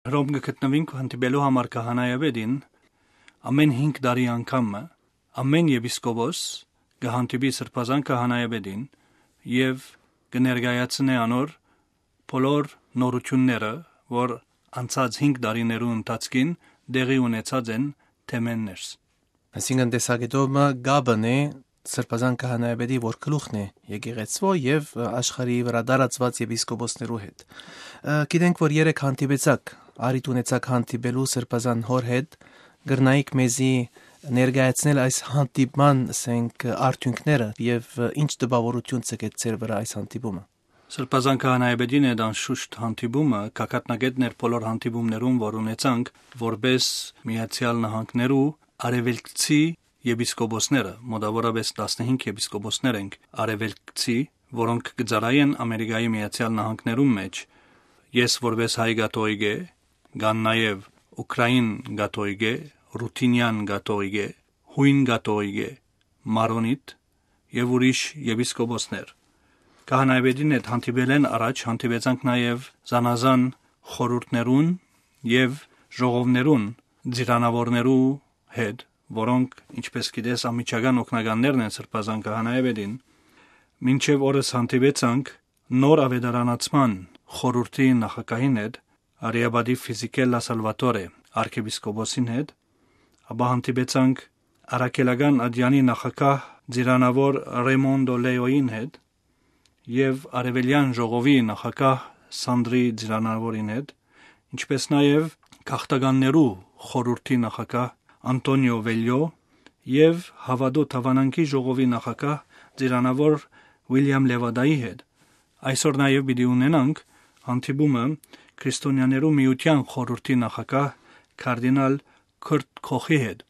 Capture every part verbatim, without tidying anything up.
Հռոմ կը գտնուինք հանդիպելու համար քահանայապետին, ամէն հինգ տարի անգամ մը, ամէն եպիսկոպոս կը հանդիպի Սրբազան քահանայապետին եւ կը ներկայացնէ անոր բոլոր նորութիւնները, որ անցած հինգ տարիներու ընթացքին տեղի ունեցած են թեմէն ներս։ Այսինքն տեսակետով մը կապն է Սրբազան քահանայապետի, որ գլուխն է եկեղեցւոյ եւ աշխարհի վրայ տարածուած եպիսկոպոսներու հետ։ Ը, գիտենք, որ երեկ հանդիպեցաք, առիթ ունեցաք հանդիպելու Սրբազան հօր հետ, կրնայիք մեզի ներկայացնել այս հանդիպման, ասենք, արդիւնքները եւ ինչ տպաւորութիւն ցկեց ձեր վրայ այս հանդիպումը։ Սրբազան քահանայապետին հետ անշուշտ հանդիպումը գագաթնակէտն էր բոլոր հանդիպումներուն, որ ունեցանք որպես Միացեալ Նահանգներու արեւելքցի եպիսկոպոսները, մոտավորապես տասնհինգ եպիսկոպոսներ ենք արեւելքցի, որոնք կը ծառայեն Ամերիկայի Միացեալ Նահանգներուն մէջ։ Ես որպես հայ կաթողիկէ, կան նաեւ ուկրաին կաթողիկէ, ռութինեան կաթողիկէ, յոյն կաթողիկէ, մարոնիտ եւ ուրիշ եպիսկոպոսներ։ Քահանայապետին հետ հանդիպելէն առաջ հանդիպեցանք նաեւ զանազան խորհուրդներուն եւ ժողովներուն ծիրանաւորներու հետ, որոնք, ինչպես գիտես, անմիջական օգնականներն են Սրբազան քահանայապետին։ Մինչեւ օրս հանդիպեցանք նոր աւետարանացման խորհուրդի նախագահին հետ, արիապատի Ֆիզիկելլա Սալվատորե արքեպիսկոպոսին հետ, ապա հանդիպեցանք առաքելական ատեանի նախագահ ծիրանաւոր Ռեյմոնդո Լեոյին հետ եւ արեւելեան ժողովի նախագահ Սանդրի ծիրանաւորին հետ, ինչպես նաեւ գաղթականներու խորհուրդի նախագահ Անտոնիո Վելյո եւ Հաւատու դաւանանքի ժողովի նախագահ ծիրանաւոր Ուիլյամ Լևադայի հետ։ Այսօր նաեւ պիտի ունենանք հանդիպումը Քրիստոնեաներու միութեան խորհուրդի նախագահ կարդինալ Քուրտ Քոխի հետ։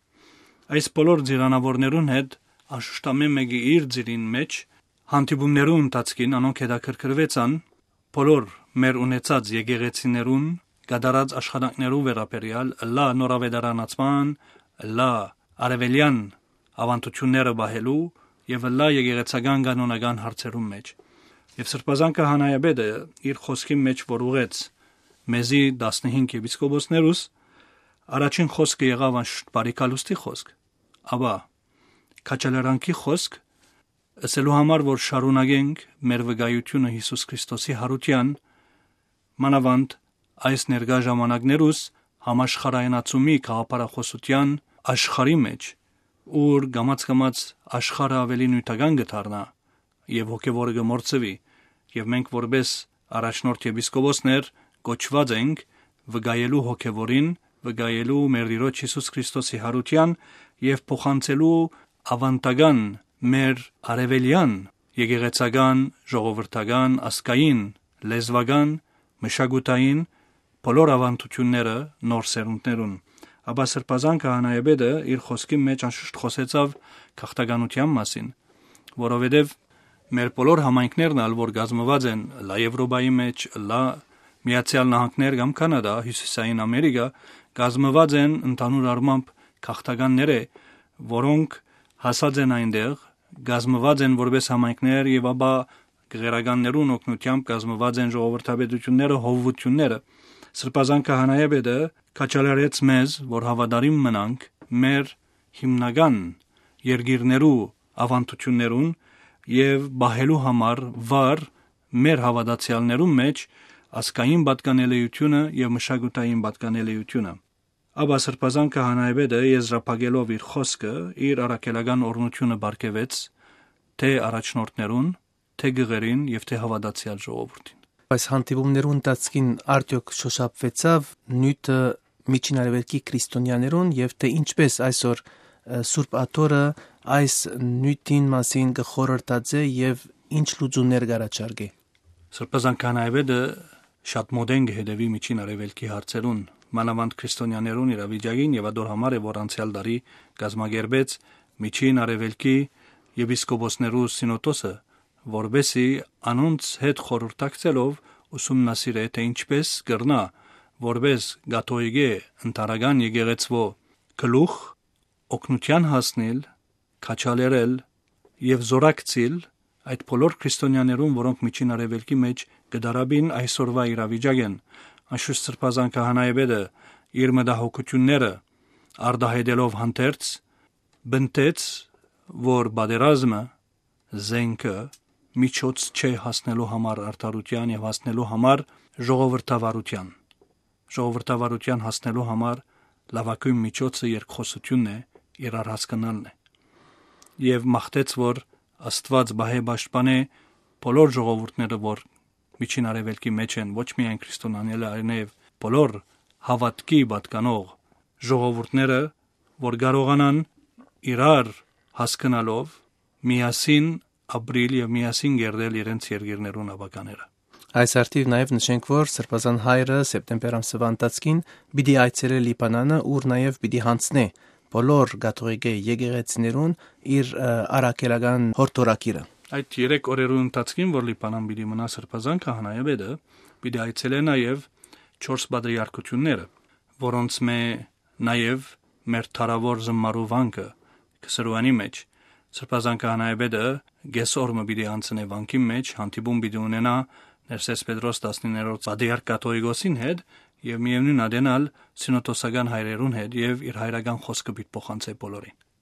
Այս բոլոր ծիրանաւորներուն հետ, անշուշտ, ամէն մէկը իր ծիրին մէջ, հանդիպումներու ընթացքին անոնք հետաքրքրուեցան բոլոր մեր ունեցած եկեղեցիներուն կատարած աշխատանքներու վերաբերեալ, ըլլայ նոր աւետարանացման, ըլլայ արեւելեան աւանդութիւնները պահելու եւ ըլլայ եկեղեցական կանոնական հարցերուն մէջ։ Եւ Սրբազան քահանայապետը իր խօսքին մէջ, որ ուղղեց մեզի տասնհինգ եպիսկոպոսներուս, առաջին խօսքը եղաւ անշուշտ բարի գալուստի խօսք, ապա քաջալերանքի խօսք, ըսելու համար, որ շարունակենք մեր վկայութիւնը Յիսուս Քրիստոսի յարութեան, մանաւանդ այս ներկայ ժամանակներուս համաշխարհայնացումի գաղափարախօսութեան աշխարհի մէջ, ուր կամաց-կամաց աշխարհը աւելի նիւթական կը դառնայ եւ հոգեվորը կը մոռցուի, եւ մենք որպես առաջնորդ եպիսկոպոսներ կոչուած ենք վկայելու հոգեվորին, վկայելու մեր Տիրոջ Յիսուս Քրիստոսի յարութեան եւ փոխանցելու աւանդական մեր արեւելեան, եկեղեցական, ժողովրդական, ազգային, լեզուական, մշակութային բոլոր աւանդութիւնները նոր սերունդներուն։ Ապա Սրբազան քահանայապետը իր խօսքին մէջ անշուշտ խօսեցաւ գաղթականութեան մասին, որովհետեւ մեր բոլոր համայնքներն ալ, որ կազմուած են լայ Եվրոպայի մէջ, լայ Միացեալ Նահանգներ կամ Քանադա, Հիւսիսային Ամերիկա, կազմուած են ընդհանուր առմամբ գաղթականներէ, որոնք հասած են այնտեղ, կազմուած են որպես համայնքներ եւ ապա գղերականներուն օգնութեամբ կազմուած են ժողովրդապետութիւնները, հովուութիւնները։ Սրբազան քահանայապետը քաջալերեց մեզ, որ հաւատարիմ մնանք մեր հիմնական երկիրներու աւանդութիւններուն եւ պահելու համար վառ մեր հաւատացեալներուն մէջ ազգային պատկանելիությունը եւ մշակութային պատկանելիությունը։ Ապա Սրբազան քահանայապետը, եզրափակելով իր խօսքը, իր առաքելական օրհնութիւնը պարգեւեց թէ առաջնորդներուն, թէ գղերին եւ թէ հաւատացեալ ժողովուրդին։ Այս հանդիպումներու ընթացքին արդեօք շոշափուեցաւ նիւթը Միջին Արեւելքի քրիստոնեաներուն եւ թէ ինչպէս այսօր, ը, Սուրբ Աթոռը այս նիւթին մասին կը խորհրդածէ եւ ինչ լուծումներ կ'առաջարկէ։ Սրբազան քահանայապետը շատ մօտէն կը հետեւի Միջին Արեւելքի հարցերուն, մանաւանդ քրիստոնեաներուն իրավիճակին, եւ ատոր համար է, որ անցեալ տարի կազմակերպեց Միջին Արեւելքի եպիսկոպոսներու սինոդոսը, որպէսզի անոնց հետ խորհրդակցելով ուսումնասիրէ, թէ ինչպէս կրնայ որպէս կաթողիկէ ընդհանրական եկեղեցւոյ գլուխ օգնութեան հասնիլ, քաջալերել եւ զօրակցիլ այդ բոլոր քրիստոնեաներուն, որոնք Միջին Արեւելքի մէջ կը տառապին այսօրուայ իրավիճակէն, Անշուշտ Սրբազան քահանայապետը իր մտահոգութիւնները արտահայտելով հանդերձ, պնդեց, որ պատերազմը, զենքը, միջոց չէ հասնելու համար արդարութեան եւ հասնելու համար ժողովրդավարութեան։ Ժողովրդավարութեան հասնելու համար լաւագոյն միջոցը երկխօսութիւնն է, իրար հասկնալն է։ Եւ մաղթեց, որ Աստուած պահէ պաշտպանէ բոլոր ժողովուրդները, որ Միջին Արեւելքի մէջ են, ոչ միայն քրիստոնյաները, այլ նաեւ բոլոր հաւատքի պատկանող ժողովուրդները, որ կարողանան իրար հասկնալով միասին ապրիլ եւ միասին կերտել իրենց երկիրներուն ապագաները։ Այս արդիւ նաեւ նշենք, որ Սրբազան հայրը սեպտեմբեր ամսվա ընթացքին պիտի այցելէ Լիբանանը, ուր նաեւ պիտի յանձնէ բոլոր կաթողիկէ եկեղեցիներուն իր, ը, առաքելական յորդորագիրը։ Այդ երեք օրերու ընթացքին, որ Լիբանան պիտի մնայ Սրբազան քահանայապետը, պիտի այցելէ նաեւ չորս պատրիարքութիւնները, որոնցմէ նաեւ մեր դարաւոր զմարու վանքը Քսրուանի մէջ։ Սրբազան քահանայապետը կէս օր մը պիտի անցնէ վանքին մէջ, հանդիպում պիտի ունենայ Ներսէս Պետրոս տասնիններորդ պատրիարք կաթողիկոսին հետ եւ միեւնոյն ատեն ալ սինոդոսական հայրերուն հետ եւ իր հայրական խօսքը պիտի փոխանցէ բոլորին։